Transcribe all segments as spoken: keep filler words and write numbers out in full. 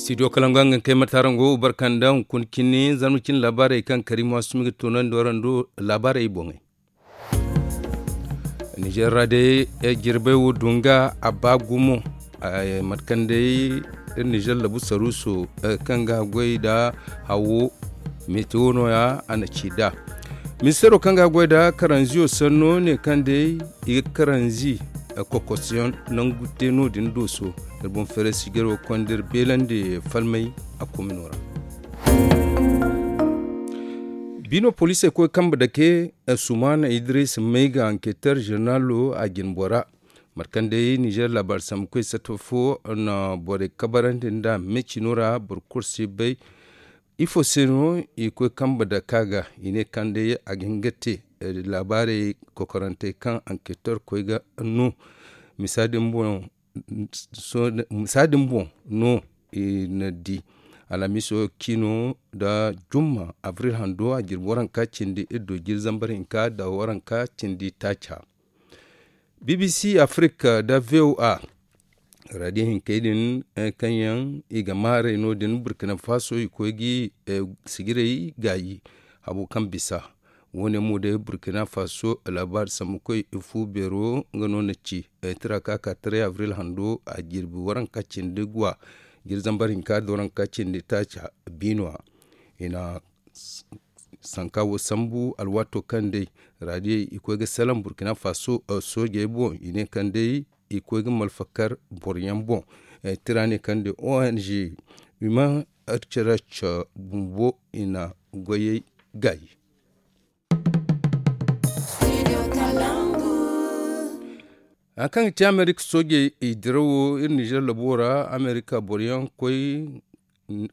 Studio kalangu a ga kay mate araŋ go barka nda hunkuna cine zarma cine laabaarey kaŋ karimu a sumi ga toonandi waraŋ do laabaarey boŋey. Nizer ra day jirbey wo dunga a ba gumo. Mate kaŋ day iri nizer labu saruuso kaŋ ga goy nda hawo metewo no- ya a na ci nd'a. Ministeero kaŋ ga goy nda karanziyo sanno ne kaŋ day i ga karanzi kokosiyaŋ nangu te no- din dooso. Iri boŋ feeray sijiro ga konda iri beelandi falmay a komino ra. Biino poliisey koy kambe dake sumaana idiris may ga anketer zeneralo a jinbora. Mate kaŋ day nizer laabaari sambu koy satta fo na borey kabarandi nda mecino ra boro kulu si bay. Ifo se no i koy kambe dake a ga? I ne kaŋ day a ga hin ga te laabaarey kokorantey kaŋ anketer koy ga no. Misa din boŋ no i na di alhamiso ciino nda jumma abril hando a jirbi waranka cindi iddu jiri zambar hinka nda waranka cindi taaca. Bbc afirika nda voa radio hinkey din kaŋ yaŋ i ga maaray no- din burkina faso i koy ga sijirey gaayi. Habo kaŋ bisa wo- ne mo day burkina faso laabaari sambu koy fu beero nga no na ci. Tira ka ka taray abril hando a jirbi waranka cindi gwa jiri zambar hinka nda waranka cindi taaca biino ra i na sanka wo sambu alwaato kaŋ day raadiyey i koy ga salaŋ burkina faso soojey boŋ i ne kaŋ day i koy ga malfa kar boro yaŋ boŋ. Tira ne kaŋ day ong human rights watch bumbo i na goyey gaayi. Hari kaŋ ga ci amerika soojey i dirawo iri nizer labo ra amerika boro yaŋ koy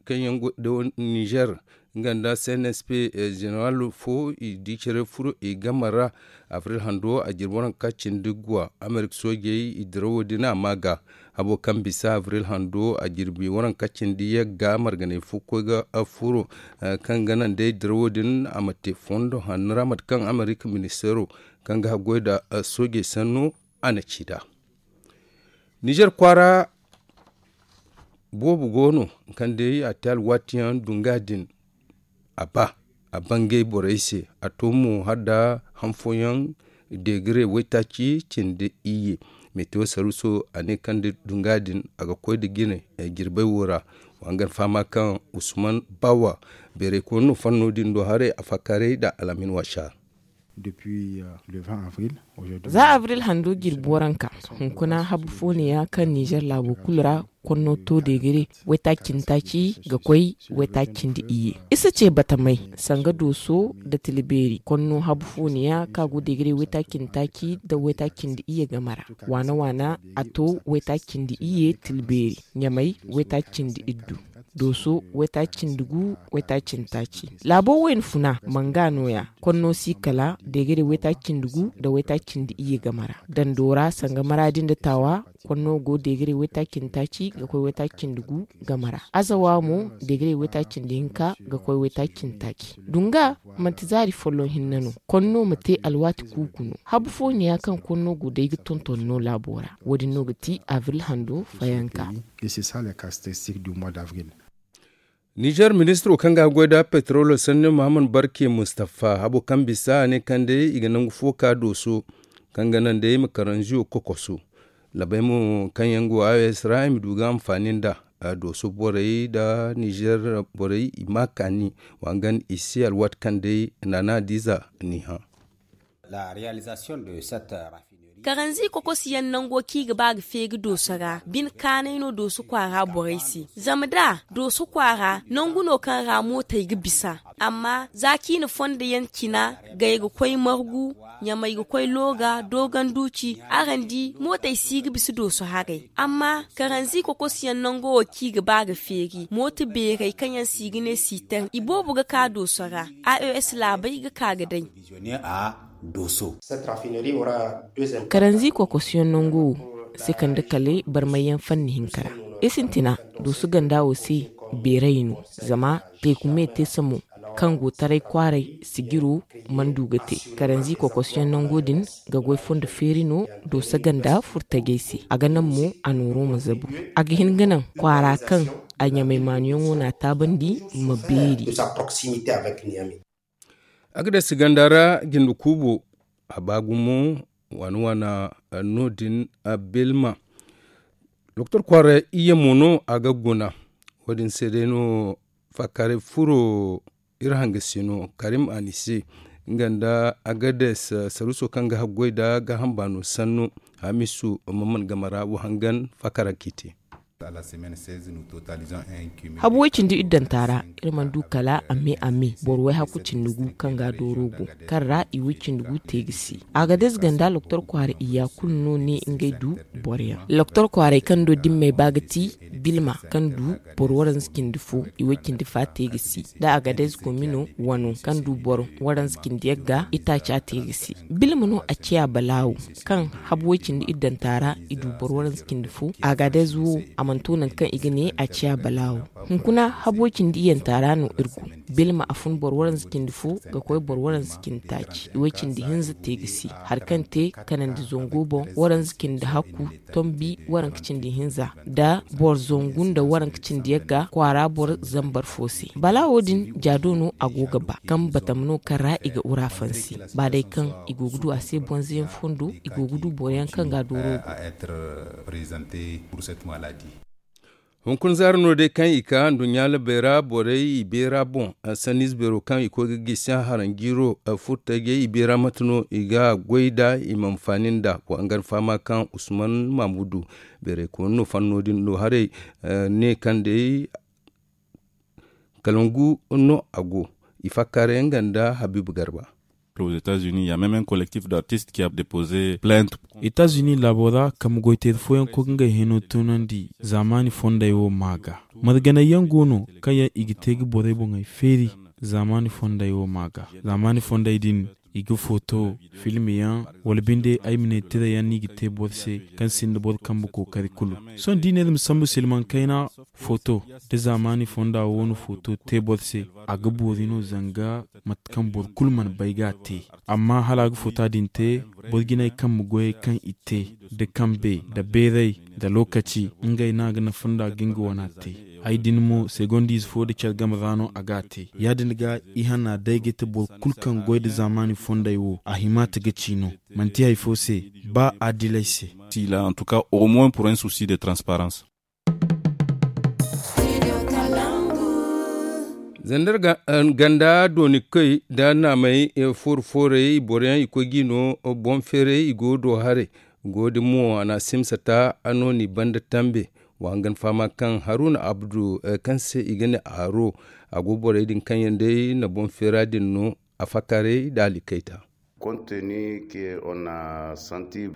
kaŋ yaŋ go nizer nga nda cnsp zeneral fo i di care furo i game ra. Abril hando a jirbi waranka cindi guwa amerika soojey i dirawo din a ma ga habo kaŋ bisa abril hando a jirbi waranka cindi yagga marganay fo koy ga furo kaŋ ga naŋ day dirawo din a ma te fondo hanno ra mate kaŋ amerika ministeero kaŋ ga haggoy nda soojey sanno a na ci nd'a. Nizer kwaara boobo go no kaŋ day a te alwaati yaŋ dunga din a ba a bangay borey se a to mo hala nda han fooyaŋ degire waytaaci cindi iyye. Metewo saruuso a ne kaŋ da dunga din a ga koy nda jine jirbey wo ra. Wa nga ni fahama kaŋ usman bawa beerey koy no fanno din do haray a fakkaaray nda alhamin waasa. Za abril hando jirbi waranka hunkuna habu fo neeya kaŋ nizer laabo kulu ra konno to degere waytaaci cindi taaci ga koy waytaaci cindi iyye. I si ce batamay sanga dooso nda tila beeri konno habu fo neeya kaŋ a go degere waytaaci cindi taaci nda waytaaci cindi iyye game ra. Waana waana a to waytaaci cindi iyye tila beeri ɲamay waytaaci cindi iddu dooso waytaaci cindi gu waytaaci cindi taaci. Laabo wayna funa manga nooya konno si kala degere waytaaci cindi gu nda waytaaci cindi iyye game ra dando ra sanga maraadi nda taawa. Konno go degere waytaaci cindi taaci ga koy waytaaci cindi gu game ra azawa mo degere waytaaci cindi hinka ga koy waytaaci cindi taaci. Dunga manti zaari folloŋ hinne no konno ma te alwaati kuuku no habu fo neeya kaŋ konno go day ga tonton no laabo ra. Wo- din no ga ti abril hando fayanka. Nizer ministiro kaŋ ga goy nda petrolo sanni muhammad barke mustapha habo kaŋ bisa a ne kaŋ day i ga nangu fo ka dooso kaŋ ga naŋ day i ma karanziyo kokoso labay mo kaŋ yaŋ go a s ra i ma du ga anfaani nda dooso borey nda nizer borey i ma kaani. Wa nga i se alwaati kaŋ day naana diiza n'i hã. Karanzi kokosiyaŋ nango kaŋ i ga ba ga feeri dooso ra bine kaanay no dooso kwaara borey se. Zama da dooso kwaara nangu no kaŋ ra mootey ga bisa amma za kaŋ i na fondo yaŋ cina gay ga koy margu ɲamay ga koy looga doogan duuci araŋ di mootey si ga bisa dooso haray. Amma karanzi kokosiyaŋ nango wo kaŋ i ga ba ga feeri mooto beerey kaŋ yaŋ se i ga ne siitaŋ i boobo ga ka dooso ra. A e s laabey ga ka ga day. Karanzi kokosiyaŋ nango wo si kande kala barmayyaŋ fanni hinka ra. I sintina dooso ganda wo se beeray no zama teeku me te samo. kaŋ go taray kwaaray sijiro mana du ga te. Karanzi kokosyaŋ nango din ga goy fondo feeri no dooso ganda furtajey se. A ga naŋ mo a nooro ma zabu. A ga hin ga naŋ kwaara kaŋ a ɲamay maanuyaŋo n'a taabandi ma beeri. A ga day si ganda ra jinde kuubo a ba gumo waana waana no- din. Bilma doktor kwaara iyye mo no a ga guna. Wo- din se day no faakaaray furo iri hanga se no karim anise nga nda agades saruuso kaŋ ga haggoy nda gaaham baano sannu. Hamisu mamman game ra wo hangan faakara k'i te. Habu way cindi iddanta ra iri mana du kala a me a me boro way hakku cindi gu kaŋ ga dooro go kaŋ ra i way cindi gu te ga si. Agades ganda loktor kwaara iyya kulu no ne ngey du boro yaŋ. Loktor kwaaray kaŋ do dimmey ba ga ti bilma kaŋ du boro waranza cindi fo i way cindi fa te ga si. Da agades komino wano kaŋ du boro waranza cindi yagga itaaca te ga si. Bilma no a ciya balaawo kaŋ habu way cindi iddanta ra i du boro waranza cindi fo. Agades wo a mana to nangu kaŋ i ga ne a ciya balaawo. Hunkuna habu way cindi iyyanta ra no iri go. Bilma a fun boro waranza cindi fo ga koy boro waranza cindi taaci i way cindi hinza te ga si. Hari kaŋ te kanandi zango boŋ waranza cindi hakku tombi waranka cindi hinza nda boro zangu nda waranka cindi yagga kwaara boro zambar fo se. Balaawo din jaado no a go ga ba kaŋ batama no kaŋ ra i ga ura fansi. Ba day kaŋ i go ga du a se bonze yaŋ fondo i go ga du boro yaŋ kaŋ ga a dooro go. Hunkuna zaari no day kaŋ i ka nduɲɲa labey ra borey i beera boŋ. Sanniize beero kaŋ i koy ga gisi haranjiiro furtajey i beera mate no i ga goy nd'a i ma anfaani nd'a. Wa hangan fahama kaŋ usman mamudu beerey koonu no fanno din no haray ne kaŋ day kalangu no a go. I fakkaaray nga nda habiibu garba. Aux États-Unis, il y a même un collectif d'artistes qui a déposé plainte. États-Unis laabo ra kambe goyteeri fooyaŋ koy ga ngey hino tunandi zaamaani fondey wo maa ga. Marganay yaŋ go no kaŋ yaŋ i ga te ga borey boŋey feeri zaamaani fondey wo maa ga. Zaamaani fondey din i ga foto filme yaŋ wala binde ay ma ne tira yaŋ no i ga te boro se kaŋ sinda boro kambe kookari kulu. Sohõ da i ne iri ma sambu silmaŋ kayna foto da zaamaani fonda wo no foto te boro se a ga boori no zanga mate kaŋ boro kulu mana bay ga a te. Amma hala a ga foto din te boro jinay kambe goyey kaŋ i te da kambe da beeray da lookaci ngey no a ga nafa nda ga nga wana te. Hay din mo segondiize fo da care game ra no a ga a te. Ya- din ga i hanna day ga te boro kulu kaŋ goy da zaamaani fondey wo a himaate ga ci no. Manti hari fo se ba adilay se. Sila en tout cas au moins pour un souci de transparence. Zandar ganda dooni koy da naamey fooru foorey boro yaŋ i koy ga i no boŋ feeray i go do haray. Go din mo a na a simsa ta a no ni banda tambe. Wa hangan fahama kaŋ haruna abdu kaŋ se i ga ne aro a go borey din kaŋ yaŋ day na boŋ feera din no a fakkaaray da alikayta.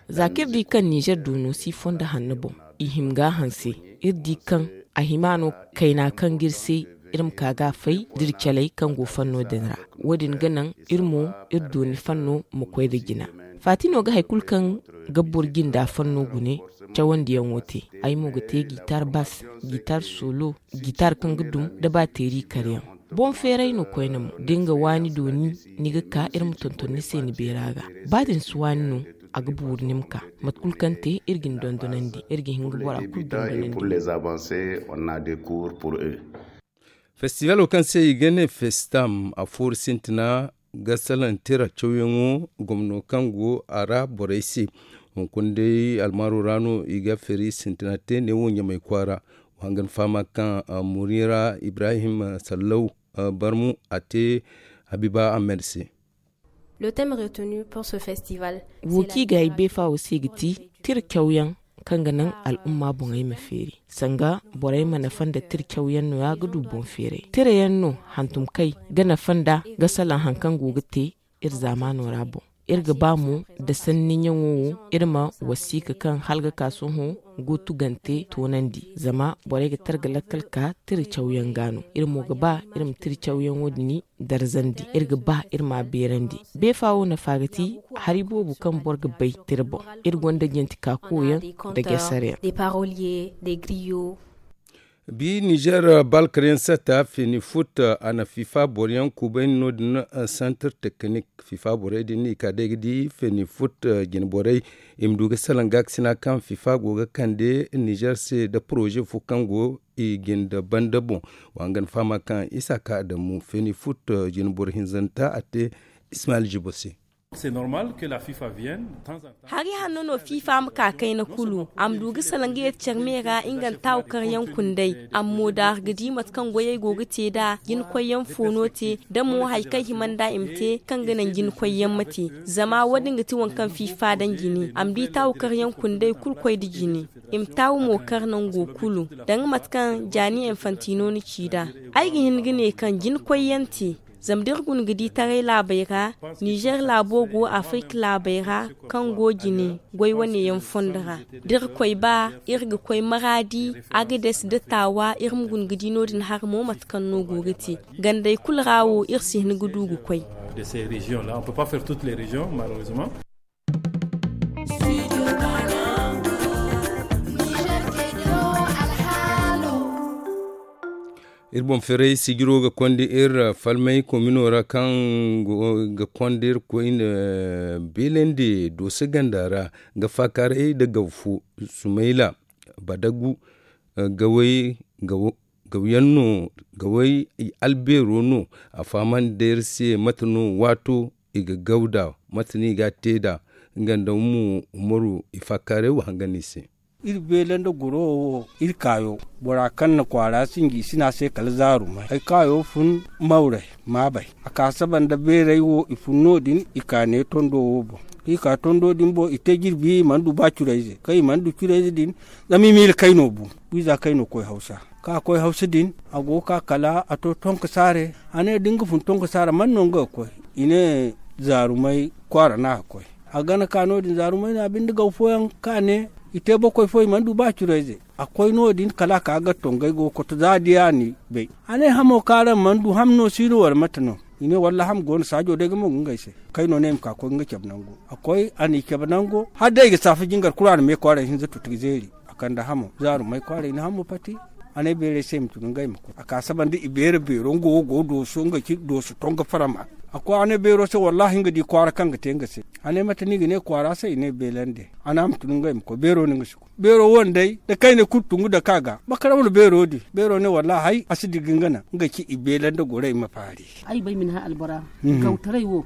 Za kaŋ iri di kaŋ nizer doono si fonda hanno boŋ i hima ga a hanse. Iri di kaŋ a hima no kayna kaŋ ga iri se iri ma ka ga a fay da iri caley kaŋ go fanno din ra. Wo- din ga naŋ iri mo iri dooni fanno ma koy nda jina. Faati no ga hari kulu kaŋ ga boro jinda fanno gune cawandiyaŋo te. Ay mo ga te gitar bas, gitar solo, gitar kaŋ ga dum nda baateeri karyaŋ. Boŋ feeray no koyne mo da ni ga waani dooni ni ga ka iri ma tonton ni se ni beera ga. Ba da ni si waani no a ga buuru ni ma ka. Mate kulu kaŋ te iri ga ni dondonandi iri ga hin ga bora kulu dondonandi. Festibalo kaŋ se i ga ne festam a fooru sintina ga salaŋ tira cawyaŋo gomno kaŋ go a ra borey se. Hunkuna day almaaro ra no i ga feeri sintina te neewo ɲamay kwaara. Wa hangan fahama kaŋ murira ibrahim sallau barmu a te habiba ahmed se. Le thème retenu pour ce festival wo kaŋ i ga ay beefa wo se ga ti tira cawyaŋ kaŋ ga naŋ al'umma boŋey ma feeri sanga borey ma nafa nda tira cawyaŋ no ya ga du boŋ feeray tira yaŋ no hantum kay ga nafa nda ga salaŋ hari kaŋ go ga te iri zaamaano ra boŋ. Iri ga ba mo da sanniyaŋo wo iri ma wasiika kaŋ hala ga ka sohõ go tugante toonandi zama borey ga tara ga lakkal ka tira cawyaŋ ga no iri mo ga ba iri ma tira cawyaŋo din darzandi iri ga ba iri ma a beerandi. Beefa wo nafa ga ti hari boobo kaŋ boro ga bay tira boŋ. Iri gonda janti ka koyaŋ nda gesaryaŋ. Bi nizer balkaryaŋ sata fenifut a na fifa boroyaŋ kubayni no- din. Santir teknik fifa borey din no i ka day ga di fenifut jine borey i ma du ga salaŋ gaakasina kaŋ fifa go ga kande nizer se nda poroze fo kaŋ go i jinde banda boŋ. Wa hangan fahama kaŋ isa ka adamu fenifut jine boro hinzanta a te ismail jibo se. Hari hanno no fifa ma ka kayna kulu a ma du ga salaŋ ga yeti care me ra nga nda taawu karyaŋ kunday. A ma mo daaru ga di mate kaŋ goyey go ga te nd'a jinakoyyaŋ fo no te da mo hari kaŋ hima nd'a i ma te kaŋ ga naŋ jinakoyyaŋ ma te. Zama wo- din ga ti waŋ kaŋ fifa daŋ jine a ma di taawu karyaŋ kunday kulu koy nda jine. I ma taawu mo kar nango kulu danga mate kaŋ jaani enfantino na ci nd'a. Ay ga hin ga ne kaŋ jinakoyyaŋ te. Zama da iri guna ga di taray laabey ra nizer laabo go afirka laabey ra kaŋ go jine goy wane yaŋ fondo ra. Da iri koy ba iri ga koy maraadi agades nda taawa iri ma guna ga di no- din hari mo mate kaŋ no go ga te. Gandey kulu ra wo iri si hin ga du ga koy. Iri boŋ ferey sijiro ga konda iri falmay komino ra kaŋ ga konda iri koyne beelandi dooso ganda ra. Ga faakaaray nda gaw fo sumayla badagu gaway gawyaŋ no gaway albeero no. A fahamandi day iri se mate no waato i ga gaw nd'a mate no i ga a te nd'a. Nga nda mo umaru i faakaaray wa hangan i se. Iri beela nda goro wo iri kaayo bora kaŋ na kwaara sinji i si ne a se kala zaarumay ay kaayo fun mawray maabay a ka saba nda beeray wo i fun no- din i ka ne tondo wo boŋ. I ka tondo din boŋ i te jirbi i mana du ba curayze kaŋ i mana du curayze din. Zama i miila kayno bu wiiza kayno koy hawsa ka koy hawsa din a go ga ka kala a to tonko saare. A ne da nga fun tonko saare man no nga ga koy i ne zaarumay kwaara no a ga koy. A gana ka no- din zaarumay no a binde gaw fooyaŋ ka ne i te bokoy fo i mana du ba curayze. A koy no- din kala a ka ga tongay go ga koto za diya ni bay. A ne hamo kaŋ araŋ mana du ham no si no wala mate no? I ne walla ham go no saajo day ga mo ga ngey se. Kayno ne i ma ka koy ga nga cabe nango a koy a n'i cabe nango hala day i ga saafa jingar kulu a na me kwaaray hinza tuti ga zeeri. A kande hamo zaarumay kwaaray ni hamo pati. A ne beeray se i ma tun ngey ma koy a ka saba nda i beera beero nga wo go dooso nga ci dooso tonga farama. A koy a ne beero se wallaahi nga di kwaara kaŋ ga te nga se. A ne mate no i ga ne kwaara se i ne beelande. A ne a ma tun ngey ma koy beero no nga si koy beero wane day da kayna kulu tungu dake a ga bakara wane beero din beero ne wallaahi hay a si digi nga naŋ nga ci i beelande gorey ma faari. Ay bay ma ni hã albora gawtaray wo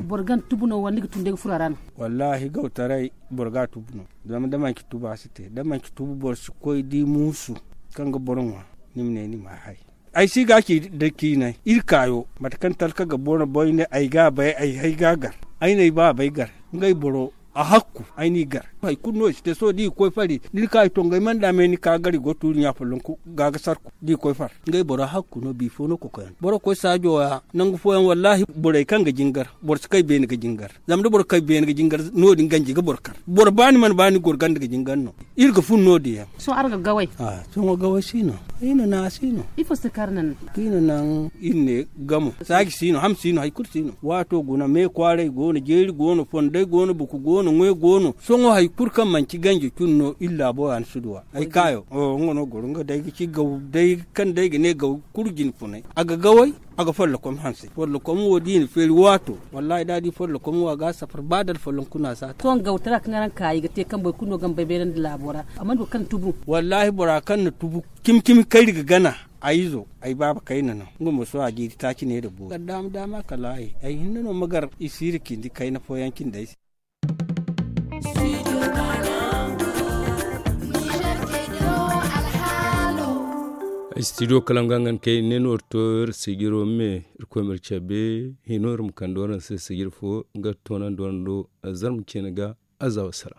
boro ga ni tubu no wala ni ga tun day ga furo a ra no? Wallaahi gawtaray boro ga a tubu no. Zama da manci tubu a si te da manci tubu boro si koy di muusu kaŋ ga boro ŋwa. Ni ma ne ni ma a hay. Ay si ga ci da ciinay iri kaayo mate kaŋ talka ga boro bay ne ay ga a bay ay hay ga a gar. Ay n'ay baabay gar ngey boro a hakku ay n'i gar. Hari kulu no i si te sohõ da i ga koy fari da ni ka i tongey mana daamay ni ka gar i go tuuri ɲa follonku ga ga sarku da i koy far. Ngey boro hakku no biifo no kokoyaŋ boro koy saajo ra nangu fooyaŋ wallaahi borey kaŋ ga jingar boro si kay beene ga jingar. Zama da boro kay beene ga jingar no- din ganji ga boro kar boro ba ni mana ba ni goro ganda ga jingar no. Iri ga fun no- din yaŋ. Sohõ araŋ ga gaway? Sohõ gaway si no. Iri na naŋ a si no. Ifo se kaŋ araŋ na naŋ? Iri na naŋ iri ne gamo saaji si no ham si no hari kulu si no waato guna me kwaaray go no jeeri go no fonday go no buku go no ŋwe go no sohõ hari kulu kaŋ manci ganji cun no iri laabo ra ni si duw'a. Ay kaayo nga no goro nga day ga ci gaw day kaŋ day ga ne gaw kulu jine funay a ga gaway. A ga follokom hanse follokom wo da i na feeri waato. Wallaahi da a di follokom wo a ga a safar ba da alfollon kuna si a te. Sohõ gawtara kaŋ araŋ ka i ga te kaŋ boro kulu no ga ma bay beerandi laabo ra a mana du kaŋ tubu. Wallaahi bora kaŋ na tubu cimi cimi kayri ga gana. Ay izo ay baaba kayna no nga mo sohõ a jiiri taaci ne nda boori kala daama daama kala ay ay hinne no ma gar i si iri cindi kayna fooyaŋ cindey se. Studio kalaŋ ga nga ni kay ne no iri to iri sijiro me iri koy ma iri cabe hino iri ma kande waraŋ se sijir fo nga toonandi waraŋ do. Zarma ceene ga azawa sara.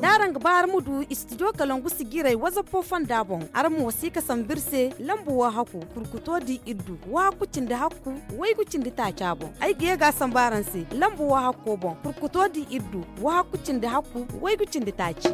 Da araŋ ga ba araŋ ma du studio kalangu sijirey wazappo fonda boŋ araŋ mo si ga sambu iri se lambu wo hakku kurkuto di iddu wo hakku cindi hakku waygu cindi taaca boŋ. Ay ga ye ga a sambu araŋ se lambu wo hakko boŋ kurkuto di iddu wo hakku cindi hakku waygu cindi taaci.